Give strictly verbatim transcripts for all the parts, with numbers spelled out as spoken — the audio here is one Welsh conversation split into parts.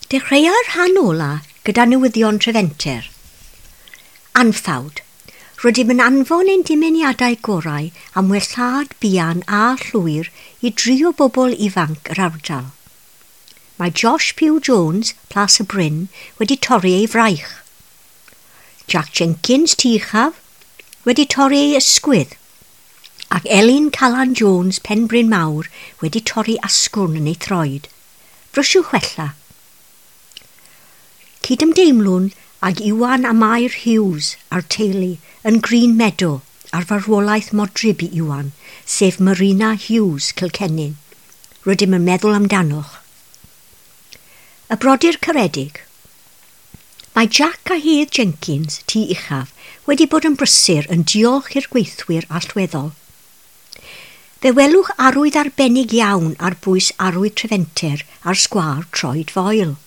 Dechreua'r rhan ola gyda newyddion Trefenter. Anffawd. Rydym yn anfon ein dymuniadau gorau am wellhad buan a llwyr i dri o bobl ifanc yr ardal. Mae Josh Pugh Jones, Plas y Bryn, wedi torri ei fraich. Jack Jenkins, Tŷ Uchaf, wedi torri ei ysgwydd. Ac Elin Calan Jones, Penbryn Mawr, wedi torri asgwrn yn ei throed. Brysiwch wella. Cydymdeimlwn ag Iwan a Mair Hughes a'r teulu yn Green Meadow ar farwolaeth modryb i Iwan, sef Marina Hughes Cilcennin. Rydym yn meddwl amdanoch. Y brodyr caredig. Mae Jack a Hedd Jenkins, Tŷ Uchaf, wedi bod yn brysur yn diolch i'r gweithwyr allweddol. Fe welwch arwydd arbennig iawn ar bwys arwydd Trefenter ar sgwâr Troed Foel.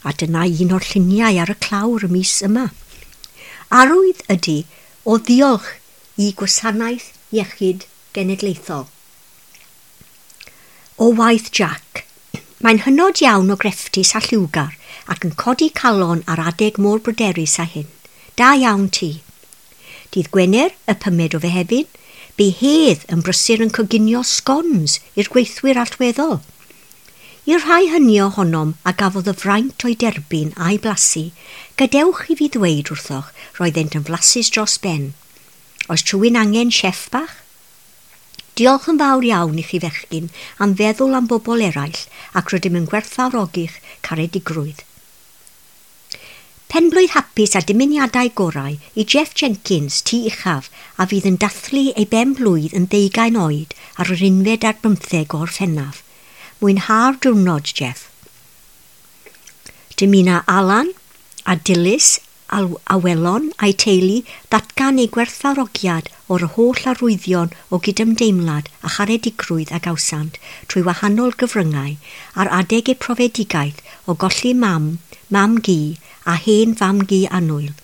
A dyna un o'r lluniau ar y clawr y mis yma. Arwydd ydy o ddiolch i Gwasanaeth Iechyd Genedlaethol. O waith Jack. Mae'n hynod iawn o grefftus a lliwgar ac yn codi calon ar adeg mor bryderus â hyn. Da iawn ti. Dydd Gwener, y pumed o Fehefin, bu Hedd yn brysur yn coginio scones i'r gweithwyr allweddol. I'r rhai hynny ohonom a gafodd y fraint o'i derbyn a'i blasu, gadewch i fi ddweud wrthoch roeddent yn flasus dros ben. Oes rhywun angen chef bach? Diolch yn fawr iawn i chi fechgyn am feddwl am bobl eraill ac rydym yn gwerthfawrogi'ch caredigrwydd. Penblwydd hapus a dymuniadau gorau i Jeff Jenkins, Tŷ Uchaf, a fydd yn dathlu ei ben blwydd yn ddeugain oed ar yr unfed ar bymtheg o Orffennaf. Mwynha'r diwrnod, Jeff. Dymuna Alan a Dilys Awelon a'i teulu ddatgan eu gwerthfawrogiad o'r holl arwyddion o gydymdeimlad a charedigrwydd a gawsant trwy wahanol gyfryngau ar adeg eu profedigaeth o golli mam, mam-gu a hen fam-gu annwyl,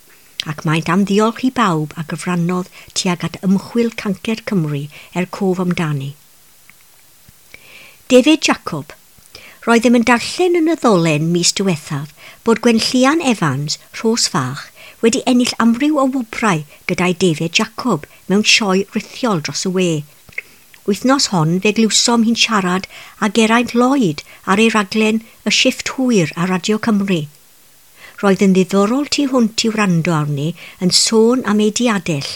ac maent am ddiolch i bawb a gyfrannodd tuag at ymchwil Cancer Cymru er cof amdani. David Jacob. Roeddem yn darllen yn y ddolen mis diwethaf bod Gwenllian Evans, Rhos Fach, wedi ennill amryw o wobrau gyda'i David Jacob mewn sioe rithiol dros y we. Wythnos hon fe glywsom hi'n siarad â Geraint Lloyd ar ei raglen Y Shifft Hwyr ar Radio Cymru. Roedd yn ddiddorol tu hwnt i wrando arni yn sôn am ei diadell,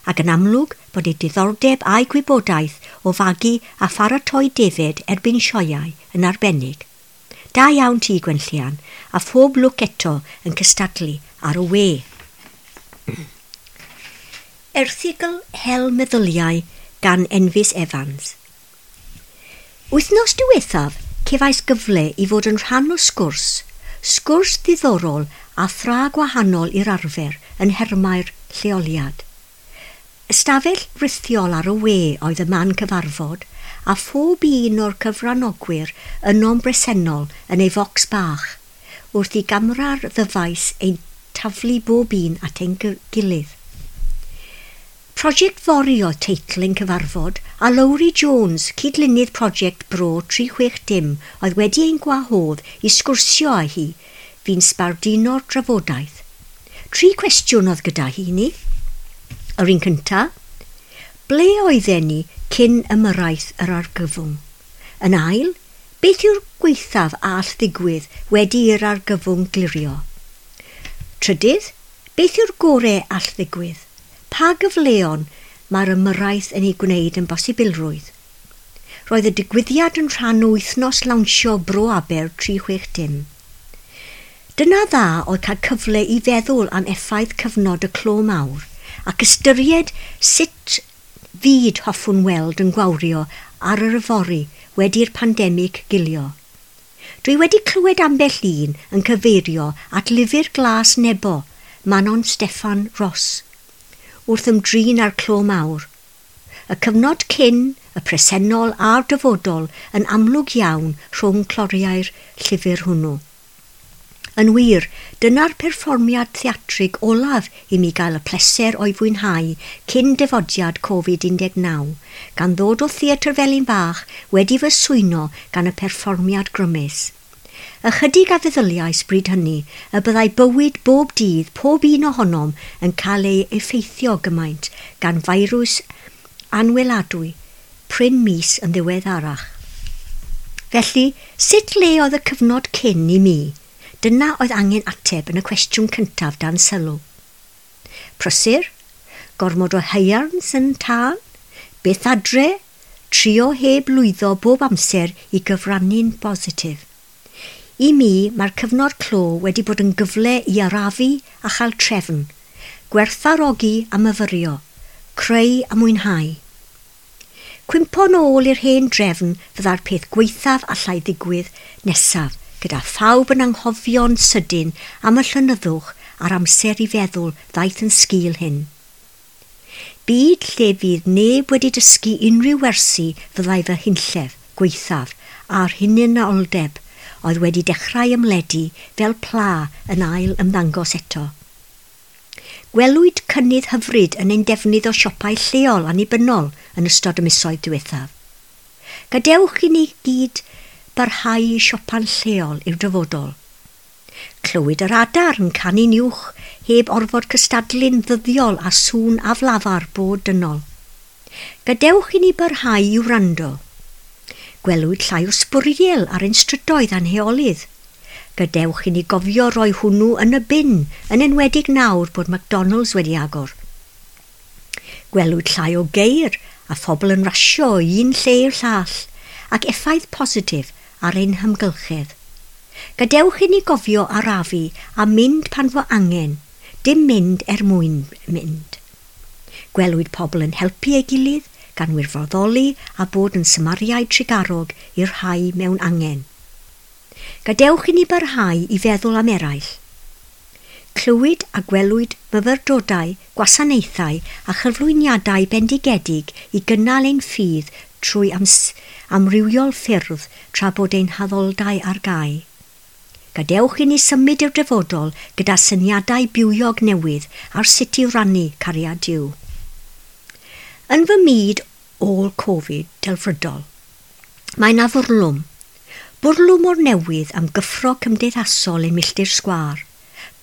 ac yn amlwg bod ei diddordeb a'i gwybodaeth o fagu a pharatoi defaid erbyn sioeau yn arbennig. Da iawn ti, Gwenllian, a phob lwc eto yn cystadlu ar y we. Erthygl Hel Meddyliau gan Enfys Evans. Wythnos diwethaf, cefais gyfle i fod yn rhan o sgwrs, sgwrs ddiddorol a thra gwahanol i'r arfer yn nhermau'r lleoliad. Ystafell rithiol ar y we oedd y man cyfarfod, a phob un o'r cyfranogwyr yno'n bresennol yn ei focs bach, wrth i gamera'r ddyfais ein taflu bob un at ein gilydd. Prosiect Fory oedd teitl ein cyfarfod, a Lowri Jones, cydlynydd prosiect Bro tri chwech dim, oedd wedi ein gwahodd i sgwrsio â hi, fu'n sbarduno'r drafodaeth. Tri cwestiwn oedd gyda hi ni. Yr un cynta, ble oedden ni cyn ymyrraeth yr argyfwng? Yn ail, beth yw'r gwaethaf all ddigwydd wedi i'r argyfwng glirio? Trydydd, beth yw'r gorau all ddigwydd? Pa gyfleon mae'r ymyrraeth yn ei gwneud yn bosibilrwydd? Roedd y digwyddiad yn rhan o wythnos lawnsio Bro Aber tri chwech dim. Dyna dda oedd cael cyfle i feddwl am effaith cyfnod y clo mawr ac ystyried sut fyd hoffwn weld yn gwawrio ar yr yfory wedi'r pandemig gilio. Dwi wedi clywed ambell un yn cyfeirio at lyfr glas Nebo, Manon Steffan Ross, wrth ymdrin â'r clo mawr. Y cyfnod cyn, y presennol a'r dyfodol yn amlwg iawn rhwng cloriau'r llyfr hwnnw. Yn wir, dyna'r perfformiad theatrig olaf i mi gael y pleser o'i fwynhau cyn dyfodiad Covid un deg naw, gan ddod o Theatr Felin Bach wedi fy swyno gan y perfformiad grymus. Ychydig a feddyliais bryd hynny y byddai bywyd bob dydd pob un ohonom yn cael ei effeithio gymaint gan feirws anweladwy prin mis yn ddiweddarach. Felly, sut le oedd y cyfnod cyn i mi? Dyna oedd angen ateb yn y cwestiwn cyntaf dan sylw. Prysur, gormod o haearns yn tân, beth adre, trio heb lwyddo bob amser i gyfrannu'n bositif. I mi, mae'r cyfnod clo wedi bod yn gyfle i arafu a chael trefn, gwerthfawrogi a myfyrio, creu a mwynhau. Cwympo nôl i'r hen drefn fydda'r peth gwaethaf allai ddigwydd nesaf, gyda phawb yn anghofio'n sydyn am y llonyddwch a'r amser i feddwl ddaeth yn sgil hyn. Byd lle fydd neb wedi dysgu unrhyw wersi fyddai fy hunllef, gwaethaf, a'r hunanoldeb oedd wedi dechrau ymledu fel pla yn ail ymddangos eto. Gwelwyd cynnydd hyfryd yn ein defnydd o siopau lleol annibynnol yn ystod y misoedd diwethaf. Gadewch i ni gyd barhau i siopa'n lleol i'r dyfodol. Clywyd yr adar yn canu'n uwch heb orfod cystadlu'n ddyddiol a sŵn aflafar bod dynol. Gadewch i ni barhau i wrando. Gwelwyd llai o sbwriel ar ein strydoedd a'n heolydd. Gadewch i ni gofio roi hwnnw yn y bin, yn enwedig nawr bod McDonald's wedi agor. Gwelwyd llai o geir a phobl yn rasio o un lle i'r llall, ac effaith positif ar ein hymgylchedd. Gadewch i ni gofio arafu a mynd pan fo angen, dim mynd er mwyn mynd. Gwelwyd pobl yn helpu ei gilydd, gan wirfoddoli a bod yn Samariaid trugarog i'r rhai mewn angen. Gadewch i ni barhau i feddwl am eraill. Clywyd a gwelwyd myfyrdodau, gwasanaethau a chyflwyniadau bendigedig i gynnal ein ffydd trwy amrywiol ffyrdd tra bod ein haddoldai ar gau. Gadewch i ni symud i'r dyfodol gyda syniadau bywiog newydd ar sut i rannu cariad Duw. Yn fy myd ôl Covid delfrydol, mae 'na fwrlwm. Bwrlwm o'r newydd am gyffro cymdeithasol ein milltir sgwâr.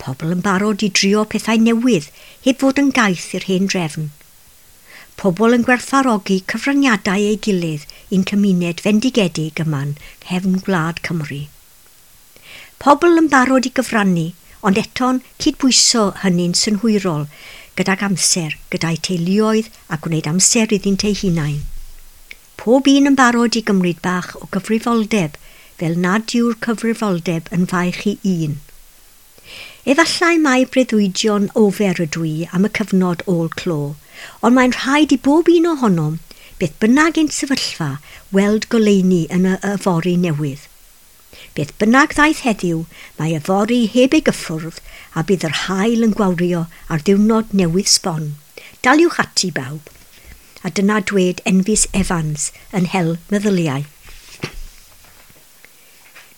Pobl yn barod i drio pethau newydd heb fod yn gaeth i'r hen drefn. Pobl yn gwerthfawrogi cyfraniadau ei gilydd i'n cymuned fendigedig yma'n nghefn gwlad Cymru. Pobl yn barod i gyfrannu, ond eto'n cydbwyso hynny'n synhwyrol gydag amser, gyda'i teuluoedd a gwneud amser iddynt eu hunain. Pob un yn barod i gymryd bach o gyfrifoldeb, fel nad yw'r cyfrifoldeb yn faich i un. Efallai mai breuddwydion ofer ydw i am y cyfnod ôl clo, ond mae'n rhaid i bob un ohonom, beth bynnag ein sefyllfa, weld goleuni yn y yfory newydd. Beth bynnag ddaeth heddiw, mae yfory heb ei gyffwrdd a bydd yr haul yn gwawrio ar ddiwrnod newydd sbon. Daliwch ati bawb. A dyna dwed Enfys Evans yn hel meddyliau.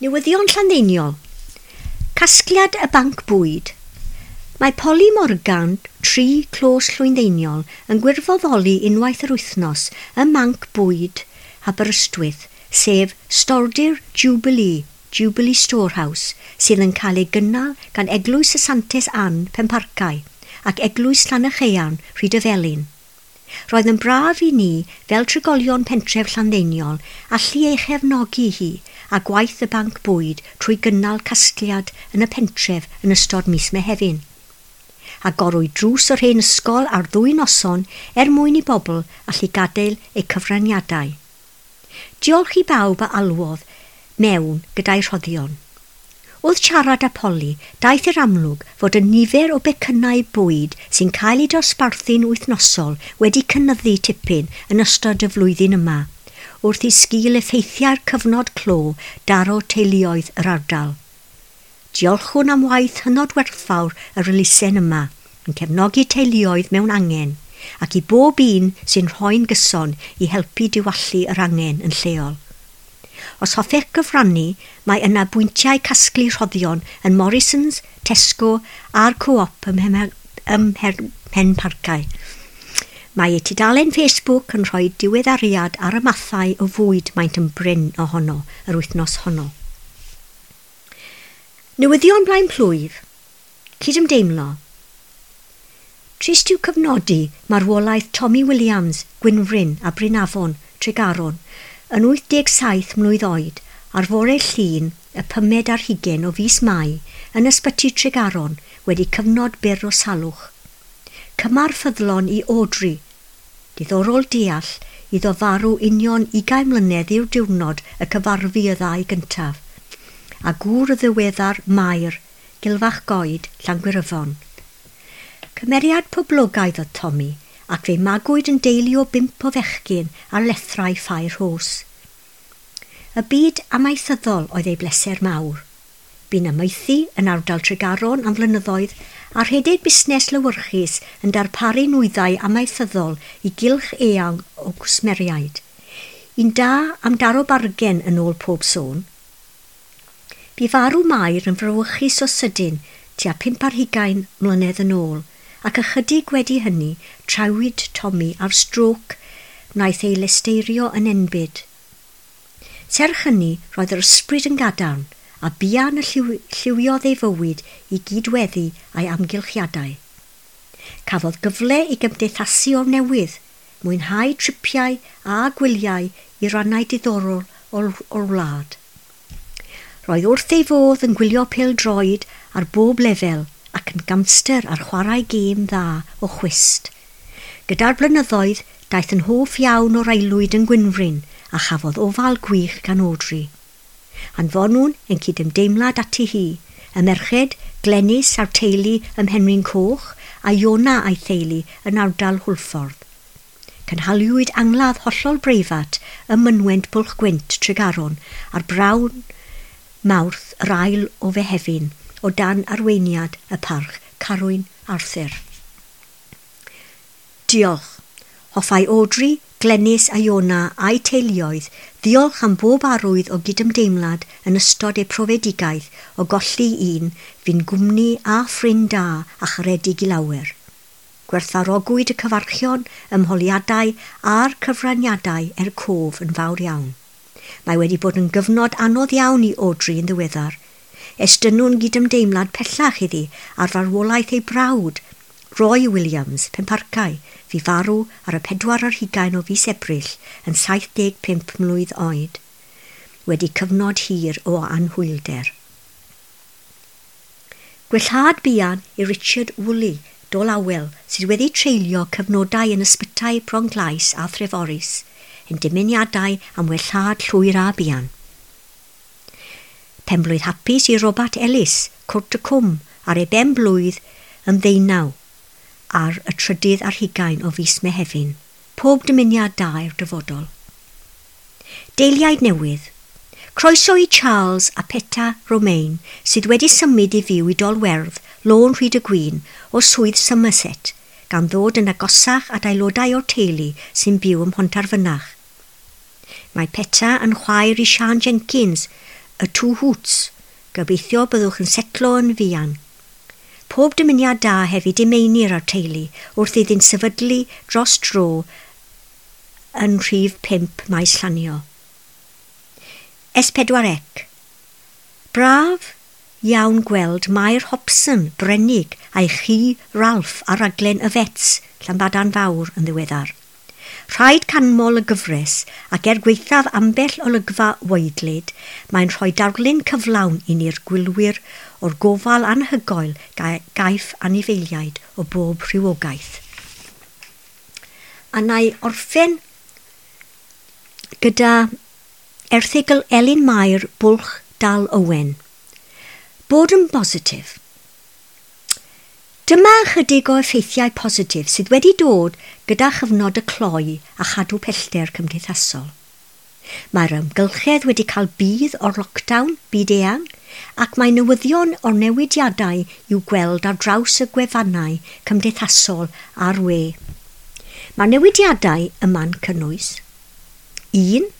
Newyddion Llanddeiniol. Casgliad y Banc Bwyd. Mae Polly Morgan, tri Clos Llwyndeiniol, yn gwirfoddoli unwaith yr wythnos ym Manc Bwyd Aberystwyth, sef Stordy'r Jubilee, Jubilee Storehouse, sydd yn cael ei gynnal gan Eglwys y Santes Ann, Penparcau, ac Eglwys Llanychaearn, Rhydyfelin. Roedd yn braf i ni, fel trigolion pentref Llanddeiniol, allu ei chefnogi hi a gwaith y Banc Bwyd trwy gynnal casgliad yn y pentref yn ystod mis Mehefin. Agorwyd drws yr hen ysgol ar ddwy noson er mwyn i bobl allu gadael eu cyfraniadau. Diolch i bawb a alwodd mewn gyda'i rhoddion. Wrth siarad â Polly, daeth i'r amlwg fod y nifer o becynnau bwyd sy'n cael eu dosbarthu'n wythnosol wedi cynyddu tipyn yn ystod y flwyddyn yma, wrth i sgil effeithiau'r cyfnod clo daro teuluoedd yr ardal. Diolchwn am waith hynod werthfawr yr elusen yma, yn cefnogi teuluoedd mewn angen, ac i bob un sy'n rhoi'n gyson i helpu diwallu yr angen yn lleol. Os hoffech gyfrannu, mae yna bwyntiau casglu rhoddion yn Morrisons, Tesco a'r Co-op ym Mhenparcau. Mae eu tudalen Facebook yn rhoi diweddariad ar y mathau o fwyd maent yn brin ohono yr wythnos honno. Newyddion blaen plwyf. Cydymdeimlo. Trist yw cyfnodi marwolaeth Tommy Williams, Gwynfryn a Brynafon, Tregaron, yn wyth deg saith mlwydd oed ar fore Llun y pumed ar hugain o fis Mai yn ysbyty Tregaron wedi cyfnod byr o salwch. Cymar ffyddlon i Audrey. Diddorol deall iddo farw union ugain mlynedd i'r diwrnod y cyfarfu y ddau gyntaf, a gŵr y ddiweddar Mair, Gilfach Goed, Llangwyryfon. Cymeriad poblogaidd oedd Tommy, ac fe magwyd yn deulu o bump o fechgyn ar lethrau Ffair Rhos. Y byd amaethyddol oedd ei bleser mawr. Bu'n amaethu yn ardal Tregaron am flynyddoedd a rhedeg busnes lewyrchus yn darparu nwyddau amaethyddol i gylch eang o gwsmeriaid. Un da am daro bargen yn ôl pob sôn. Bu farw Mair yn frawychus o sydyn tua pump ar hugain mlynedd yn ôl, ac ychydig wedi hynny trawyd Tommy ar strôc wnaeth ei lesteirio yn enbyd. Serch hynny, roedd yr ysbryd yn gadarn, a buan y lliwiodd ei fywyd i gydweddu a'i amgylchiadau. Cafodd gyfle i gymdeithasu o'r newydd, mwynhau tripiau a gwyliau i rannau diddorol o'r, o'r wlad. Roedd wrth ei fodd yn gwylio pêl-droed ar bob lefel ac yn gamster ar chwarae gêm dda o chwist. Gyda'r blynyddoedd, daeth yn hoff iawn o'r aelwyd yn Gwynfryn a chafodd ofal gwych gan Audrey. Anfonwn yn cydymdeimlad ati hi, y merched Glenys a'r teulu ym Mhenrhyn Coch a Iona a'i theulu yn ardal Hwlffordd. Cynhaliwyd angladd hollol breifat ym Mynwent Bwlch Gwynt Tregaron ar brawn Mawrth yr ail o Fehefin o dan arweiniad y parch Carwyn Arthur. Diolch. Hoffai Audrey, Glenys a Iona a'i teuluoedd ddiolch am bob arwydd o gydymdeimlad yn ystod eu profedigaeth o golli un fu'n gwmni a ffrind da a charedig i lawer. Gwerthfawrogwyd y cyfarchion, ymholiadau a'r cyfraniadau er cof yn fawr iawn. Mae wedi bod yn gyfnod anodd iawn i Audrey yn ddiweddar. Estynnwn gydymdeimlad pellach iddi ar farwolaeth ei brawd, Roy Williams, Penparcau, fu farw ar y pedwar ar hugain o fis Ebrill yn saith deg pump mlwydd oed, wedi cyfnod hir o anhwylder. Gwellhad buan i Richard Woolley, Dolawel, sydd wedi treulio cyfnodau yn ysbytai Bronglais a Threforys, yn dymuniadau am wellhad llwyr a buan. Penblwydd hapus i Robert Ellis, Cwrt y Cwm, ar ei ben blwydd yn ddeunaw ar y trydydd ar hugain o fis Mehefin. Pob dymuniad da i'r dyfodol. Deiliaid newydd. Croeso i Charles a Peta Romain, sydd wedi symud i fyw i Dolwerdd, Lôn Rhyd y Gwyn, o swydd Somerset, gan ddod yn agosach at aelodau o'r teulu sy'n byw ym Mhontarfynach. Mae Peta yn chwaer i Sian Jenkins, y Two Hoots. Gobeithio byddwch yn setlo yn fuan. Pob dymuniad da hefyd i Meinir a'r teulu wrth iddynt sefydlu dros dro yn rhif pump Maes Llanio. S pedwar C. Braf iawn gweld Mair Hobson, Brenig, a'i chi Ralph ar raglen y Fets, Llanbadarn Fawr yn ddiweddar. Rhaid canmol y gyfres ac er gwaethaf ambell olygfa waedlyd, mae'n rhoi darlun cyflawn i ni'r gwylwyr o'r gofal anhygoel gaiff anifeiliaid o bob rhywogaeth. A na i orffen gyda erthygl Elin Mair Bwlch Dal Owen. Bod yn bositif. Dyma ychydig o effeithiau positif sydd wedi dod gyda chyfnod y cloi a chadw pellter cymdeithasol. Mae'r amgylchedd wedi cael budd o'r lockdown byd eang ac mae newyddion o'r newidiadau i'w gweld ar draws y gwefannau cymdeithasol a'r we. Mae'r newidiadau yma'n cynnwys un.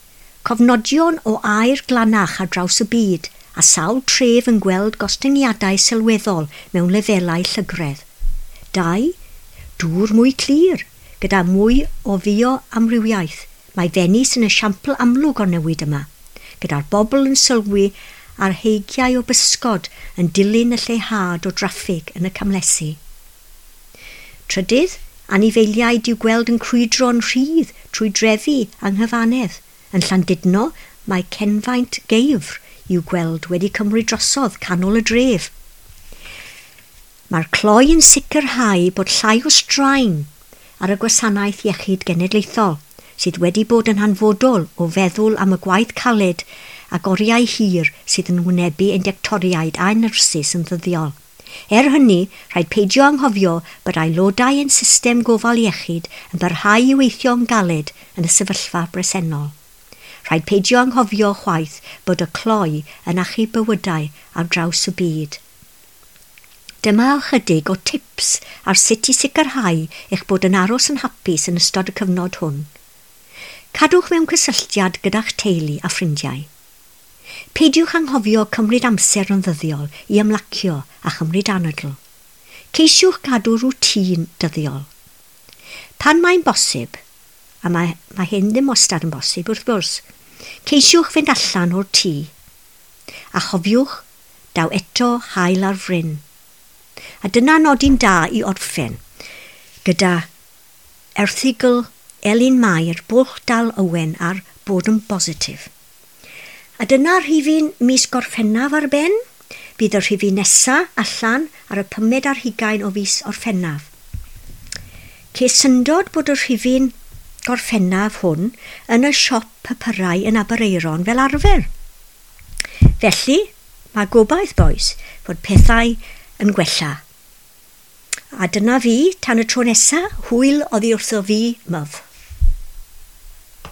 Cofnodion o aer glanach ar draws y byd a sawl tref yn gweld gostyngiadau sylweddol mewn lefelau llygredd. Dau. Dŵr mwy clir, gyda mwy o fioamrywiaeth. Mae Fenis yn esiampl amlwg o'r newid yma, gyda'r bobl yn sylwi ar heigiau o bysgod yn dilyn y lleihad o draffig yn y camlesi. Trydydd, anifeiliaid i'w gweld yn crwydro'n rhydd trwy drefi yng nghyfanedd. Yn Llandudno, mae cenfaint geifr i'w gweld wedi cymryd drosodd canol y dref. Mae'r cloi yn sicrhau bod llai o straen ar y gwasanaeth iechyd genedlaethol, sydd wedi bod yn hanfodol o feddwl am y gwaith caled ac oriau hir sydd yn wynebu ein doctoriaid a'n nyrsys yn ddyddiol. Er hynny, rhaid peidio anghofio bod aelodau ein system gofal iechyd yn parhau i weithio'n galed yn y sefyllfa bresennol. Rhaid peidio anghofio chwaith bod y cloi yn achub bywydau ar draws y byd. Dyma ychydig o tips ar sut i sicrhau eich bod yn aros yn hapus yn ystod y cyfnod hwn. Cadwch mewn cysylltiad gyda'ch teulu a ffrindiau. Peidiwch anghofio cymryd amser yn ddyddiol i ymlacio a chymryd anadl. Ceisiwch gadw rwtîn dyddiol. Pan mae'n bosib, a mae, mae hyn ddim wastad yn bosib wrth gwrs, ceisiwch fynd allan o'r tŷ. A chofiwch, daw eto haul ar fryn. A dyna nodyn da i orffen, gyda erthygl Elin Mair, Bwlch Dal Owen ar bod yn bositif. A dyna rhifyn mis Gorffennaf ar ben. Bydd y rhifyn nesa allan ar y pumed ar hugain o fis Orffennaf. Ces syndod bod y rhifyn Gorffennaf hwn yn y siop papurau yn Aberaeron fel arfer. Felly, mae gobaith, bois, fod pethau yn gwella. A dyna fi, tan y tro nesa, hwyl oddi wrtho fi, myf.